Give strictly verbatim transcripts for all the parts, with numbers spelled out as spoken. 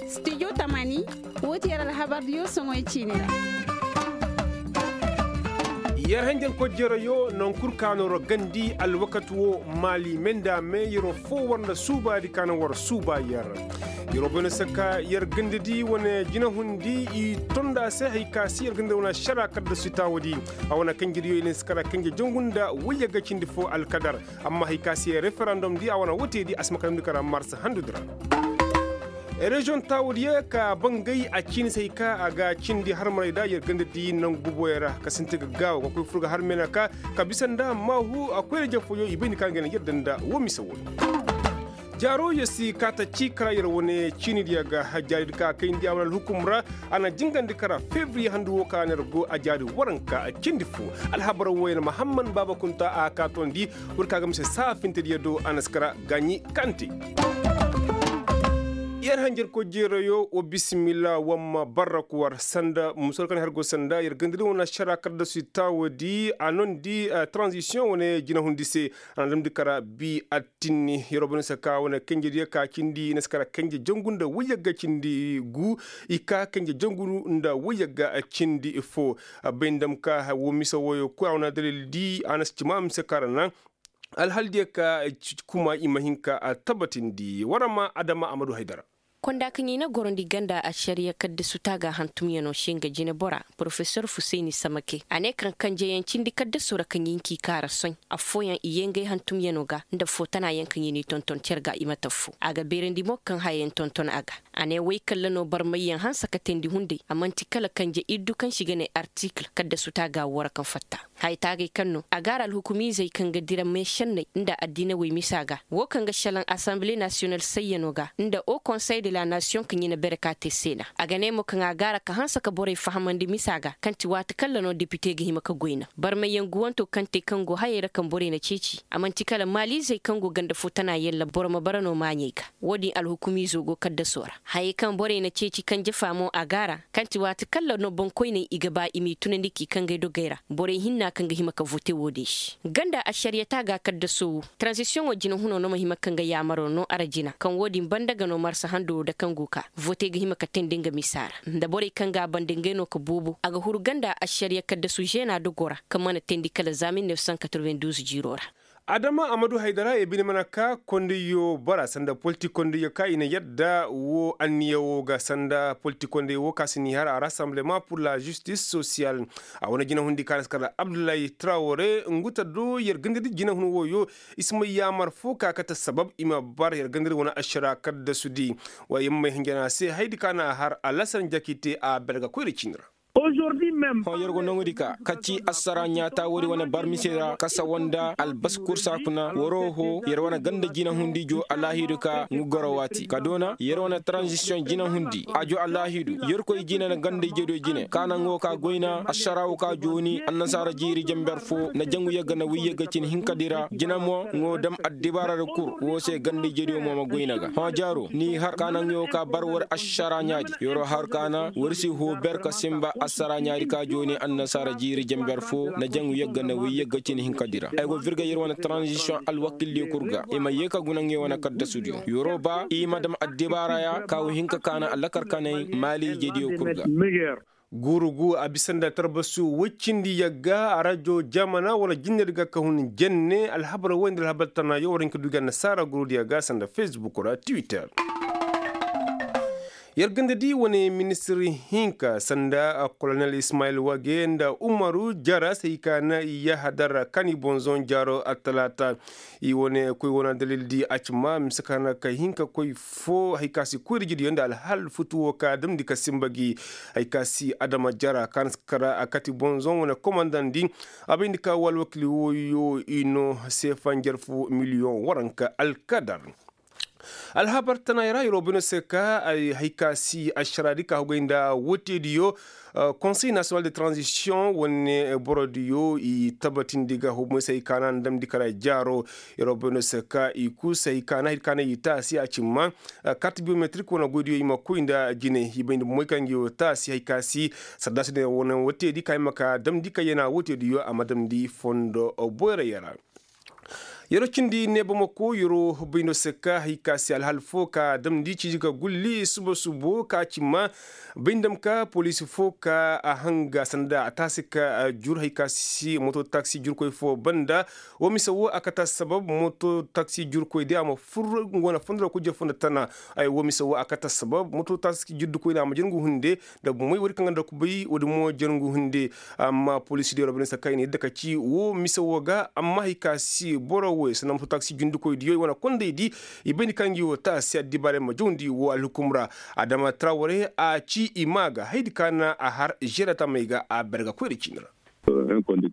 Stijo tamani, woo ti yer alhabardiyo soŋoy ciini ra. Yer hanjar kojjeerayo naŋ kul ka no ra gandi alwakati woo maali me nda me yeroo foo war nda suubaadi ka naŋ war suuba yer. Yeroo bay no se ka yer gandadi wane jinahundi i tonda se hari ka si yer gandadi wane ašara kaddasu i taawadi. A wane kanjediyo i na si kara kanje jangu nda wayyagga cindi foo alkadar. Amma hari ka se referandom di a wane wote di a si ma kala ni kara marsa handu di ra. Reziyoŋ taawadiyo ka bangay a ciini se hari ka a ga cindi harmaray da yer ganda di nangu buboyo ra ka sinti ga gaawo ka koy fur ga harmay na ka ka bisa nda maahu a koyra jafooyo i bay ni ka nga na yadda nda wo mise wo. Jaaro yer si kaata ci kara yer wane ciini diya ga jaari di ka kayndi a wane alhukum ra. A na jingandi kara febriye handu wo ka na yer go a jaari waranka cindi fo. Alhabar wo yer mahamman baaba kunta a kaatondi. War ka ga mise saafintediyo do a na si kara gaaɲi kante. Yer hanjarkoy jeerayo wa bisimilla wamma barraku war sanda musol kaŋ har go sanda yer gandadi wane ašara kaddasi taawodi a nondi. Tranzisiyoŋ wane jinahundi se a na damndi kara bi attinni yer wo bane se ka wane kanjediyo ka cindi i na si kara kanje jangu nda wayyagga cindi gu. I ka kanje jangu nda wayyagga cindi fo. Bay nda ma ka wo mise woyo kul a wane adalil di a na si cima mise ka ra naŋ. Alhal diyo ka kuma i ma hin ka tabatindi war ma adama a ma du haydara. Konda kaŋ i na gorandi ganda ašariya kaddasu taaga hantumyano se nga jinebora porofesor fusayni samake a ne kaŋ kanjeyaŋ cindi kaddaso ra kaŋ i nki kaara soy. Affooyaŋ i yee ngey hantumyano ga nda foo tanayaŋ kaŋ i n'i tonton cer ga i ma taffo a ga beerandi mo kaŋ hayayaŋ tonton a ga. A ne woy kalla no barmayyaŋ hanse ka teendi hunday a man'ti kala kanje iddu kaŋ se i ga ne artikil kaddasu taaga wo ra kaŋ fatta. Haya taagay kaŋ no a gaara alhukumiizey kaŋ ga dira meešenney nda addiinawey misa ga. Wo kaŋ ga šelaŋ asanbile nasiyonal sayyano ga nda o konsey de la nasiyoŋ kaŋ i na bere ka te seena. A ga ne mo kaŋ a gaara ka hanse ka borey fahamandi misa ga kaŋ ti waati kalla no depite ga hima ka goy naŋ barmayyaŋ guwanto kaŋ te kaŋ go hayey ra kaŋ borey na ceeci a man'ti kala maaliizey kaŋ go ganda foo tana yalla boro ma bara no maaɲey ga. Wo-din alhukumiizo go kaddaso ra. Hayey kaŋ borey na ceeci kanje fa mo a gaara kaŋ ti waati kalla no boŋkoyney i ga ba i m'i tunandi k'i kangay dogey ra. Borey hinna kaŋ ga hima ka vote wo-din se ganda ašariya taaga kaddaso wo. Taranzisiyoŋo jinahunoo no ma hima kaŋ ga yaamaro no ara jina kaŋ wo-din banda ga no marsa hando wo da kaŋ go ka vote ga hima ka teendi nga misa ra nda borey kaŋ ga a banda ngey no ka boobo a ga huru ganda ašariya kaddasu zeena dogo ra kaŋ mana teendi kala za mil nef san katorben duuz jiiroo ra. Adama a ma du haydara i bine mana ka kondayyo bara sanda politik kondayyo ka i na yadda wo anniya wo ga sanda politik kondayyo wo ka si ni har a rasanbleman pur la zistis sosiyal. A wane jinahundi ka na si kar abdullahi trawore ngu ta do yer ganda di jinahun woyo. I si may yaamar fo ka kate sabab i ma bar yer ganda di wane ašara kaddasu di. Wa yer may hinjana se haydi ka na har alasar njakite a berga koyra ciini ra. Hõ yer go nongudi ka ka ci assara ɲaata woodi wane barmise ra ka sawa nda albasi kursa kuna waro ho yer wane ganda jinahundi jo alaahidu ka ngu goro waati ka doona yer wane taranzisiyoŋ jinahundi a jo alaahidu yerkoy jine na ganda ijediyo jine ka naŋ wo ka goyna assara wo ka jooni annasaara jiiri jenber fo na jangu yagga na wiyyagga cin hinkadi ra jine mo ŋo dam addibaaradi kul wo se ganda ijediyo mo ma goyna ga hõ jaaro ni har ka naŋ yo ka bar war assara ɲaadi yoro har kaana war si hoo ber ka simba assara ɲaadi ka jooni annasaara jiiri jenber fo na jaŋu yagga na way yagga cin hinka dira ay go virga yer wane transition alwakildiyo kul ga i ma yee ka guna ŋey wane kaddasudiyo yoro ba i ma dam addibaaraya ka wa hinka kaana allakar kanay maali ijediyo kul ga guuru gu a bisa nda tarbasu woy cindi yagga a rajo jamana wala jinne di ga ka hun jenne alhabar woy nda alhabar tana yo war hin ka du ga annasaara guuru di yagga sanda facebook ra twitter yer ganda di wane ministir hinka sanda kolonel ismail wage nda umaru jara se i ka na i yahadar kani bonzon jaro attalata i wane koy wane dalil di a ci ma mise ka na ka hinka koy fo hay ka si koy da jidiyo nda alhal futu wo ka damdi ka simba gi hay ka si adama jara ka na si kara a kati bonzon wane komandandi a bay nda ka wala wakili woyo i no seefa njarfu miliyoŋ waranka alkadar alhabar tanay ra yeroo bay no se ka ay hay ka si ašaraadi ka hugay nda woteediyo konsey nasiyonal de tranzisiyoŋ wane borodiyo i tabatindi ga humo se hay ka na ndamndi kala jaaro yeroo bay no se ka i kul se hay ka na hay ka na i taasi a cimma kart biyometrik wane goydiyo i ma koy nda jine i bay nda moy kaŋ ngi wo taasi hay ka si sardaasi ne wane woteedi ka i ma ka damndi ka yana woteediyo a ma damndi fondo boyra yara Yeroo cindi neebamako yeroo bay no se ka hay ka se alhal fo ka damndi ciiji ka gulli suba subo ka ci ma bay ndam ka poliisi fo ka a hanga sanda a taasi ka jur hay ka si moto taksi jurkoy fo banda. Wo mise wo a kata sabab moto taksi jurkoy di a ma fur nga wane fondo ra kujje fondo tana. Ay wo mise wo a kata sabab moto taksi jurkoy di a ma jir nga hunde. Da moy woodi kaŋ ga nda kubay woodi mo jir nga hunde. Amma poliisi di robinet sakka i na yadda ka ci wo mise wo ga amma hay ka si boro wo sanda moto taksi jundikoy diyo i wane kondey di. I bayndi ka ngi wo ta si addibaarey ma jawndi wo alhukum ra. Adama traware a ci i ma ga haydi ka na a har žerata may ga a berga koyra ciini ra.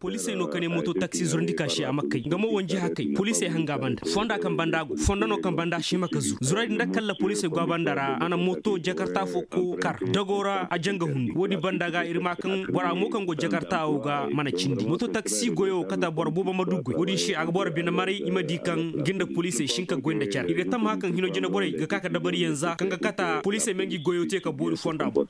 Poliisey no ka ne moto taksi zurandi ka se a ma kay nga mo wanji hakay poliisey hanga banda fonda kaŋ banda go fondo no kaŋ banda se ma ka zuru zuray din da kalla poliisey go a banda ra a na moto jakarta fo ko kar dago ra a janga hundu wo- din banda ga ir ma kaŋ bora mo kaŋ go jakarta wo ga mana cindi moto taksi goyo kata boro buba ma du goy wo- din se a ga boro bine maray i ma di kaŋ ga nda poliisey si hin ka goy nda care i ga tamma kaŋ hino jine borey ga ka ka dabari yanza kaŋ ga kata poliisey ma ngi goyo te ka boori fonda boŋ.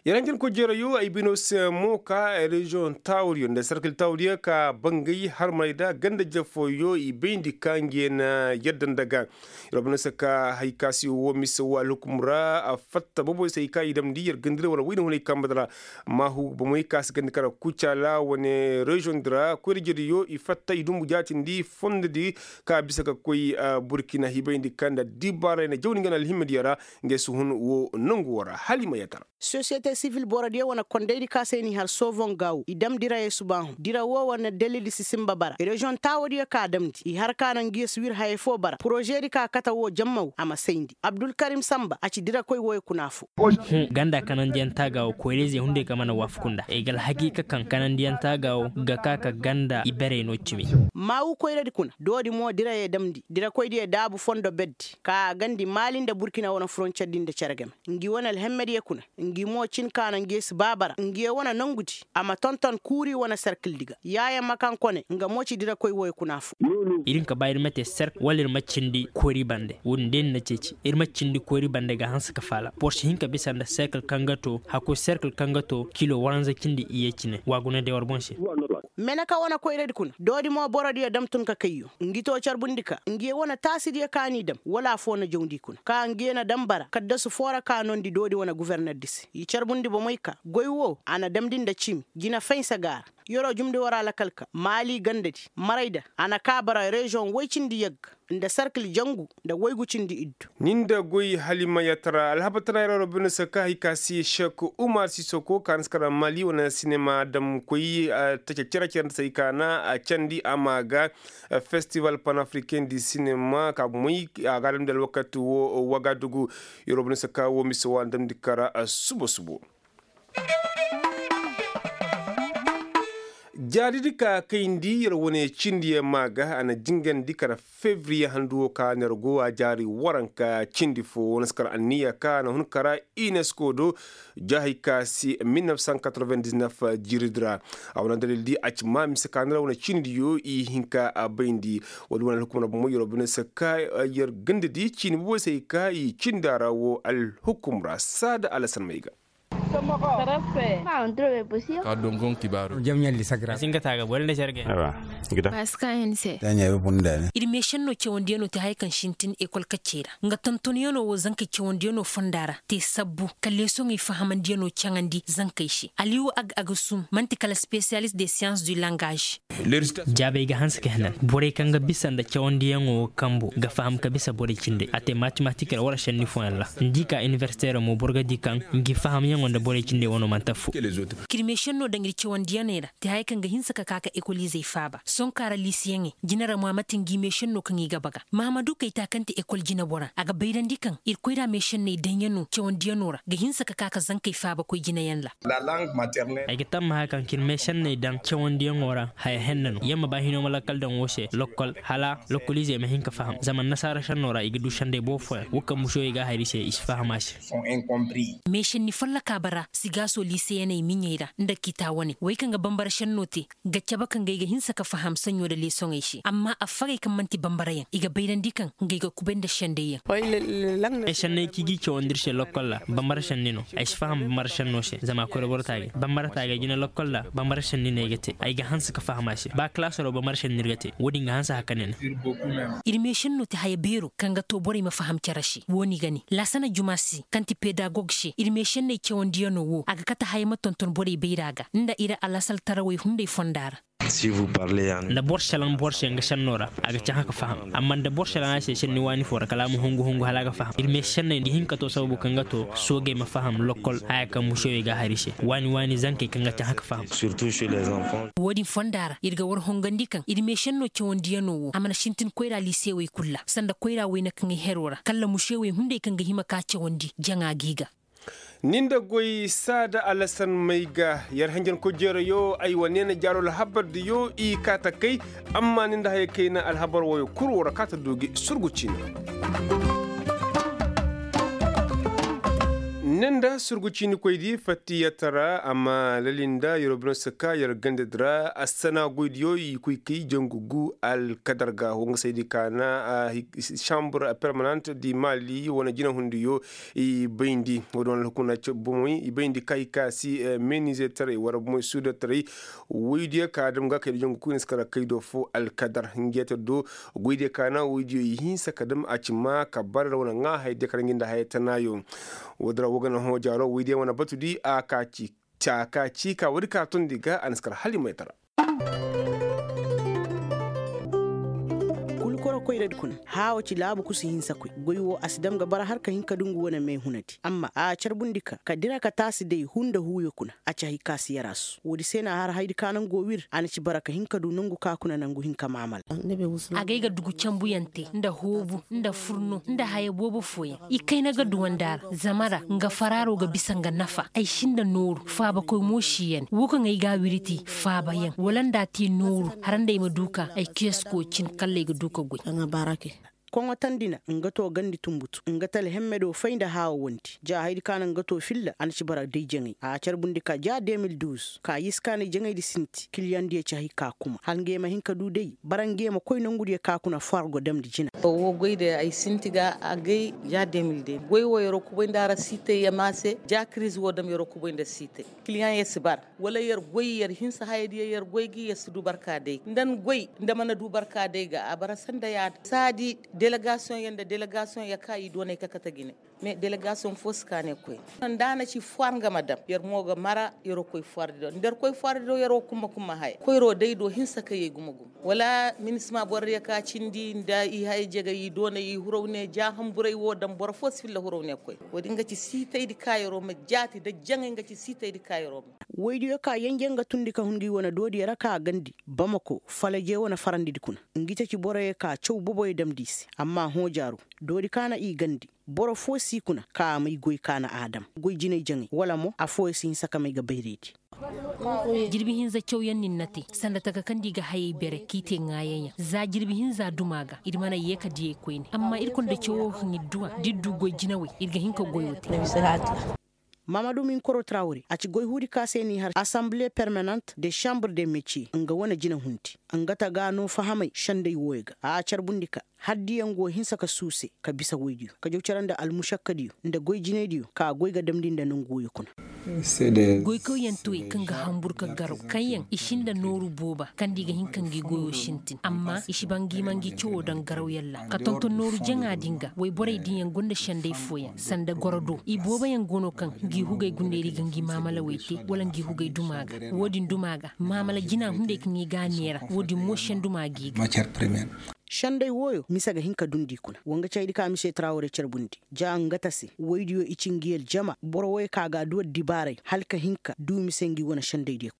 Yaranjin ko jeerayo ay bino se mo ka reziyoŋ tawuriyo nda sarkil tawuriyo ka bangay harmay da ganda jafooyo i bayndi ka nge na yadda nda ga. Iro bino se ka hay ka si wo mise wo alhukum ra a fatta boboy se i ka i damndi yer gandira wala wayne hunay kamba dira. Maahu bomoy ka si gandi kara kucala wane reziyoŋ dira koyra jediyo i fatta i dumbu jaatindi fondo di ka bisa ka koy burkina hibayndi ka nda dibaaray na jawni nga na alhimma diyo ra. Nge si hun wo nongu wo ra hala i ma yatara. Sosiyete sivil borodiyo wane kondaydi ka se n'i har sovoŋ gaawu i dam dirayey subaahu dira wo wane dalildi si sinba bara reziyoŋ taawodiyo ka damndi i har ka na ngiyo si wir hayey foo bara porožedi ka kate wo jammaw a ma sayndi abdulkarim sanba a ci dirakoy woy kuna fo. Ganda kanandiyaŋ taaga wo koyra-izey hunday ka mana waafaku nda i ga alhakiika kaŋ kanandiyaŋ taaga wo ga ka ka ganda iberey no cimi. Maawu koyradi kuna doodi mo dirayey damndi dirakoydiyo daabu fondo berdi ka a gandi maali nda burkina wane furoncerdi nda cere game. Ngi wane alhemmediyo kuna ngi mo cin ka na ngiyo si baabara ngiyo wane nongudi a ma tonton kuuri wane serkildi ga yaaye ma kaŋ kone nga mo ci dirakoy woy kuna fo. Ir hin ka ba ir ma te serk wala ir ma cindi koyri bande wo-din day ni na ceeci ir ma cindi koyri bande ga hanse ka faala boro si hin ka bisa nda serkil kaŋ ga to hakkoy serkil kaŋ ga to kilo waranza cindi iyye cine waagunay day war boŋ se. Meneka wane koyradi kuna doodi mo borodiyo dam tun ka kayyo ngi to carbundi ka ngiyo wane taasidiyo ka n'i dam wala afoo na jawndi kuna ka ngiyo na dam bara kaddasu foo ra ka noondi doodi wane guvernerdi se i carbundi bomey ka goy wo a na damndi nda cimi jina faynsa ga a ra. Yeroo jumndi war alakal ka maali gandadi marayda a na kaa bara reziyoŋ woy cindi yagga nda sarkil jangu nda woygu cindi iddu. Ni nda goy hala i ma yatara alhabatara yeroo robbina se ka hay ka si sek umar sisoko ka na si kara maali wane sinema damkoy. Tace cere cere nda se hay ka na a candi a ma ga festival panafricain di sinema ka moy a ga a damndi alwakati wo wagadugu. Yeroo robbina se ka wo mise wo a na damndi kara subo subo. Jaaridi ka kayndi yer wane cindiyaŋ maa ga a na jingandi kara fevriye handu wo ka ner go a jaari waranka cindi fo wane si kara anniya ka a na hun kara unesco do. Jahay ka si mil nef san katroven disnef jiiridi ra. A wane dalil di a ci maa mise ka ner wane cindiyo i hinka a bayndi. Wala wane alhukum ra bomo yer wo bine se ka yer ganda di ciini bobo se i ka i cindi a ra wo alhukum ra saada alasan may ga. Ka dongon kibaaru. Jam ɲalli sagra. Singa taga bore nda jarge. Awa. Gida. Baska hense. Tanya be bunda ne. Ir meešenno cawandiyano te haya kaŋ sintin ekol kaccey ra nga tontoniyano wo zankey cawandiyano fonda ra te sabbu ka leesoŋey fahamandiyano caŋandi zankey se aliyu ag agasum man'ti kala spesiyalist de siyans du langage. Jaabey ga hanse ka henan borey kaŋ ga bisa nda cawandiyaŋo wo kambo ga faham ka bisa borey cindey a te matematik ra wala šenni fooyaŋ ra. Ni di ka iniversite ra mo boro ga di kaŋ ngi fahamyaŋo nda borey cindey wano mana te affo. Kirmeešenno daŋ ir cawandiyaŋey ra te haya kaŋ ga hinse ka ka ka ekoliizey faaba sohõ ka ra liisiyaŋey jine ra mo a ma te ngi meešenno kaŋ i ga baga mahamadu kayta kaŋ ti ekol jinebora a ga bayrandi kaŋ ir koyra meešenney daŋyaŋo cawandiyaŋo ra ga hinse ka ka ka zankey faaba koy jineyaŋ ra. Ay ga tammaha kaŋ kirmey senney daŋ cawandiyaŋo ra haya henna no yer ma ba hino ma lakkal daŋ wo se lokkol hala lokkoliizey ma hin ka faham zama annasaara senno ra i ga du sendey boobo fooyaŋ wo kaŋ musoyey ga a hari se i si faham a se. Meesenni folloka. ra sigaasoo liiseyaney miɲey ra nda kitaa wane wey kaŋ ga bambara šennoo te ga cabe kaŋ ga ay ga hinsa ka faham saɲɲoo nda leesoŋey se amma affagey kaŋ man'ti bambarayaŋ i ga bayrandi kaŋ ngey ga kubay nda sendayyaŋ. Ay senney kaŋ i g'i cawandi ir se lokkol ra bambara senni no. Ay si faham bambara sennoo se zama a koyra boro taagay bambara taagay jina lokkol ra bambara senni no ay ga te ay ga hanse ka faham a se ba kalaasoo ra bambara senni ir ga te wo-din ga hanse haka ne no. Ir meešennoo ti haya beeroo kaŋ ga too borey ma faham cere se wo-ni ga ne laasana juma se kaŋ ti pedagog se ir meešenney cawandiyanoo wo a ga kate haya ma tonton borey bayraa ga nda ir alasaltarawey hunday fondaa ra. Nda boro selaŋ boro se nga sennoo ra a ga cahã ka faham amma nda boro selaŋ a se senni waani foo ra kala a ma hungu hungu hala a ga faham ir meešenney nda i hin ka too sababu kaŋ ga too soogey ma faham lokkol haya kaŋ mušewey ga a har i se waani waani zankey kaŋ ga cahã ka faham. Wo-din fondaa ra ir ga war hongandi kaŋ ir meešennoo cawandiyanoo wo a mana sintin koyraa liisewey kul ra sanda koyraa wayne kaŋ ay heroo ra kalla mušewey hunday kaŋ ga hima ka cawandi jaŋa g'i ga. Ni nda goy saada alasan may ga yer hanjankoy jeerayo ay wa neena jaaro alhabardiyo i kaa ta kay. Amma ni nda haya kayna alhabar wooyo kul war kaa ta du gi surgu ciini. Ni nda surgu ciinikoydi fattiyatara amma lalinda yer wa bine si kaa yer gandadi ra assana goydiyo i koy kay jangu gu alkadar ga wo nga saydi kaana. Sambur permanant di mali wane jinahundiyo i bayndi wo- din wane alhukuna bomoy i bayndi ka i kaasi menize taray wara bomoy suuda taray. Woydiyo ka dam ga kay da jangu kuyna si kara kay do fo alkadar hinjeta do. Goydiyo ka na woydiyo i hinsa ka dam a ci ma ka bara da wane ŋaa haydiyo ka ra ngi nda haya tanaayo. Woodin ra wo ga na hõ jaaro woydiyo wane batudi a ka ci. Ca ka ci ka woodi ka tondi ga a na si kara hala i maytara. Kulu koro koyradi kuna haawo ci laabu kusu hinsa koy goy wo a si dam ga bara har ka hin ka dungu wane meehunadi amma a carbundi ka ka dira ka taasi day hu nda huuyo kuna. A ci hay ka si yaraasu woodi se na a har haydi ka naŋ go wir a na ci bara ka hin ka du nongu ka kuna naŋ go hin ka maamala. Agay ga dugu canbuyaŋ te nda hoobu nda furno nda haya boobo fooyaŋ i kayna ga duwandi a ra zama ra nga faraaro ga bisa nga nafa ay si nda nooru faabakoy mo si yandi wo kaŋ ay ga a wiriti faabayaŋ wala nda a te nooru har nda ay ma du ka ay kiyasko cin kalla ay ga du ka goy. Koŋotandi na nga to gandi tumbutu nga tala hemme do fay nda haawo wondi ja haydi ka na nga to filla a na ci bara day jaŋay a carbundi ka ja de mil duuz ka yiskaanay jaŋaydi sinti kiliyaŋdiyo ci hay ka kuma hala nga ye ma hin ka du day bara nga ye ma koy nongudiyo ka kuna fo har go damndi jina. Wo goy da ay sinti ga agay ja de mil de goy wo yer wo kubay nda a ra siitay yama se ja kiriz wo dam yer wo kubay nda siitay kiliyaŋ yer si bara wala yer goy yer hinsa hayadiyo yer goy gi yer si du barka day nda ni goy nda mana du barka day ga a bara sanda yaadin saadi delegasiyoŋ yer nda delegasiyoŋ yer ka i doonay ka kate jine. Mais delegasiyoŋ fo si ka ne koy nda a na ci fwar nga ma dam yer mo ga mara yer wo koy fwardi do nda yer koy fwardi do yer wo kumma kumma haya koyro day do hinsa ka yee gumo gumo wala minisima borodiyo ka cindi nda i haya jegay i doonay i huraw ne ja hamburay wo dam boro fo si filla huraw ne koy. Wo-din ga ci siitaydi ka yer wo ma jaati nda jaŋay nga ci siitaydi ka yer wo ma. Woydiyo ka yenje nga tundi ka hun ngi wane doodiyo ra ka gandi bamako falaje wane farandidi kuna ngi ceci boroyo ka caw boboyo damndi i se amma hõ jaaru doodi ka na i gandi boro fo si kuna ka a may goy ka na a dam goy jinay jaŋay wala mo afooyo si hinsa ka may ga bayraydi. Jirbi hinza cawyaŋ nin na te sanda taka kaŋ da i ga hayey bere k'i te ŋaayaŋ yaŋ za jirbi hinza duma ga ir mana yee ka diyey koyne amma ir konda cawo kaŋ ir du a da ir du goy jinawey ir ga hin ka goyo te. Mamadu minkoro trawre a ci goy huudi ka se n'i har asanbile permanant de chambre de metier nga wane jinahundi nga ta ga no fahamay sendey wooyo ga a carbundi ka haddiyaŋ go hinsa ka suuse ka bisa woydiyo ka jaw care nda almušakkadiyo nda goy jinaydiyo ka goy ga damndi nda nongu wooyo kuna. Goykawyaŋ toy kaŋ ga hanbur ka garaw kaŋyaŋ i si nda nooru booba kaŋ da i ga hin ka ngi goyo sintin amma i si ba ngi ma ngi cawo daŋ garawyaŋ ra ka tonton nooru jaŋa din ga woyborey diiyaŋ gonda sendey fooyaŋ sanda gorodo i booboyaŋ go no kaŋ ngi hugey gundey ra i ga ngi maamalawey te wala ngi hugey duma ga. Wo-din duma ga maamala jina hunday kaŋ i ga a neera wo-din mo senduma g'i ga. Sendey wooyo mise ga hin ka dundi i kuna wa nga caydi ka mise trawre carbundi ja nga ta se woydiyo i ci ngi aljama boro wooyo ka ga a du addibaaray hala ka hin ka du mise ngi wane sendeydiyo.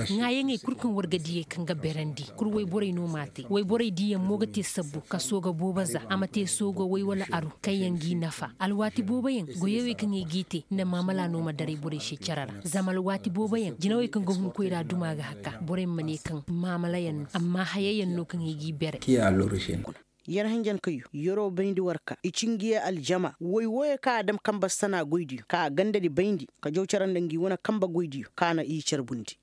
Ŋaayaŋey kul kaŋ war ga diyey kaŋ ga berandi kul woyborey no m'a te woyborey diiyaŋ mo ga te sabbu ka sooga boobo za a ma te sooga woy wala aru kaŋyaŋ g'i nafa alwaati booboyaŋ goyey wey kaŋ ay g'i te nda maamala no ma daray borey se cere ra zama alwaati booboyaŋ jinawey kaŋ ga hun koyra duma ga haka borey ma ne kaŋ maamalayaŋ no amma hayayaŋ no kaŋ ay g'i bere. Yer hinjankayo yeroo bayndi war ka i ci ngi ye aljama woy wooyo kaŋ a dam kanba sana goydiyo ka a gandadi bayndi ka jaw cere nda ngi wane kanba goydiyo ka na i carbundi.